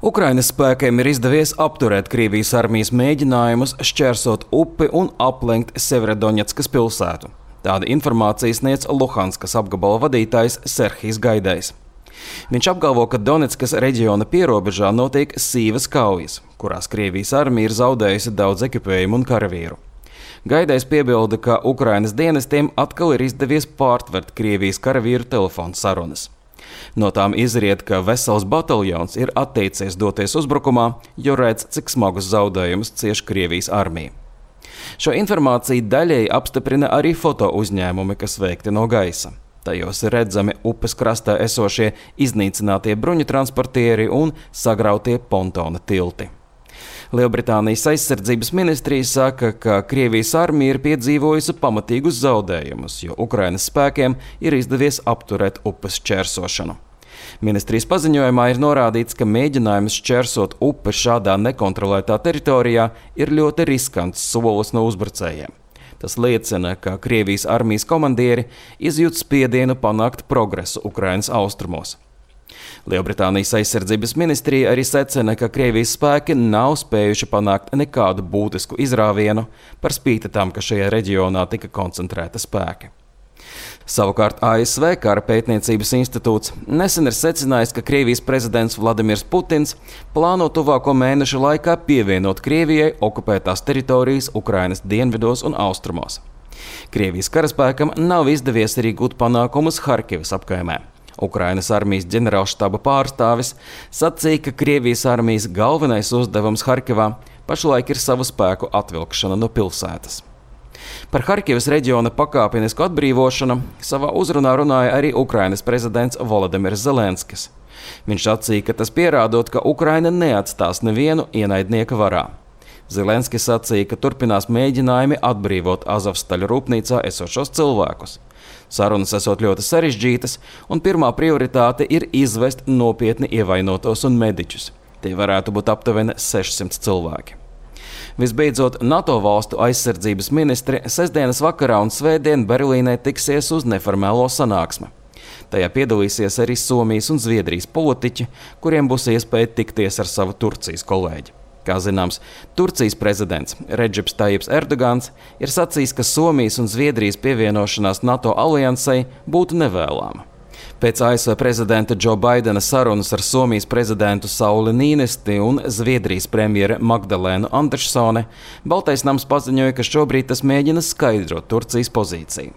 Ukrainas spēkiem ir izdevies apturēt Krievijas armijas mēģinājumus šķērsot upi un aplenkt Severodonetskas pilsētu. Tāda informācija sniedz Luhanskas apgabala vadītājs Serhijs Gaidais. Viņš apgalvo, ka Donetskas reģiona pierobežā notiek sīvas kaujas, kurās Krievijas armija ir zaudējusi daudz ekipējumu un karavīru. Gaidais piebilda, ka Ukrainas dienestiem atkal ir izdevies pārtvert Krievijas karavīru telefonu sarunas. No tām izriet, ka vesels bataljons ir atteicies doties uzbrukumā, jo redz, cik smagus zaudējumus cieš Krievijas armija. Šo informāciju daļēji apstiprina arī foto uzņēmumi, kas veikti no gaisa. Tajos ir redzami upes krastā esošie iznīcinātie bruņu transportieri un sagrautie pontona tilti. Lielbritānijas aizsardzības ministrija saka, ka Krievijas armija ir piedzīvojusi pamatīgus zaudējumus, jo Ukrainas spēkiem ir izdevies apturēt upes šķērsošanu. Ministrijas paziņojumā ir norādīts, ka mēģinājums šķērsot upi šādā nekontrolētā teritorijā ir ļoti riskants solis no uzbrucējiem. Tas liecina, ka Krievijas armijas komandieri izjūt spiedienu panākt progresu Ukrainas austrumos. Lielbritānijas aizsardzības ministrija arī secina, ka Krievijas spēki nav spējuši panākt nekādu būtisku izrāvienu, par spīti tam, ka šajā reģionā tika koncentrēta spēki. Savukārt ASV Kara pētniecības institūts nesen ir secinājis, ka Krievijas prezidents Vladimirs Putins plāno tuvāko mēnešu laikā pievienot Krievijai okupētās teritorijas Ukrainas dienvidos un austrumos. Krievijas karaspēkam nav izdevies arī gūt panākumus Harkivas apkaimē. Ukrainas armijas ģenerālštaba pārstāvis sacīja, ka Krievijas armijas galvenais uzdevums Harkivā pašlaik ir savu spēku atvilkšana no pilsētas. Par Harkivas reģiona pakāpenisku atbrīvošanu savā uzrunā runāja arī Ukrainas prezidents Volodimirs Zelenskis. Viņš sacīja, ka tas pierādot, ka Ukraina neatstās nevienu ienaidnieka varā. Zelenskis sacīja, ka turpinās mēģinājumi atbrīvot Azovstaļa rūpnīcā esošos cilvēkus. Sarunas esot ļoti sarežģītas, un pirmā prioritāte ir izvest nopietni ievainotos un mediķus. Tie varētu būt aptuveni 600 cilvēki. Visbeidzot, NATO valstu aizsardzības ministri sestdienas vakarā un svētdien Berlīnē tiksies uz neformālo sanāksmi. Tajā piedalīsies arī Somijas un Zviedrijas politiķi, kuriem būs iespēja tikties ar savu Turcijas kolēģi. Kā zināms, Turcijas prezidents Redžips Tajips Erdogans ir sacījis, ka Somijas un Zviedrijas pievienošanās NATO aliansei būtu nevēlama. Pēc ASV prezidenta Džo Baidena sarunas ar Somijas prezidentu Sauli Nīnesti un Zviedrijas premjere Magdalēnu Andersone, Baltais nams paziņoja, ka šobrīd tas mēģina skaidrot Turcijas pozīciju.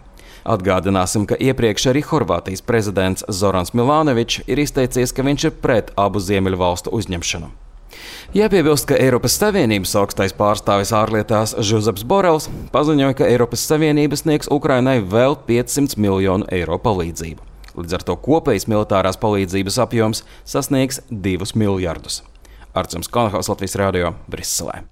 Atgādināsim, ka iepriekš arī Horvātijas prezidents Zorans Milanovičs ir izteicies, ka viņš ir pret abu ziemeļu valstu uzņemšanu. Jāpiebilst, ka Eiropas Savienības augstais pārstāvis ārlietās Žuzeps Borels paziņoja, ka Eiropas Savienība sniegs Ukrainai vēl 500 miljonu eiro palīdzību. Līdz ar to kopējs militārās palīdzības apjoms sasniegs 2 miljardus. Artjums Konohaus, Latvijas radio, Briselē.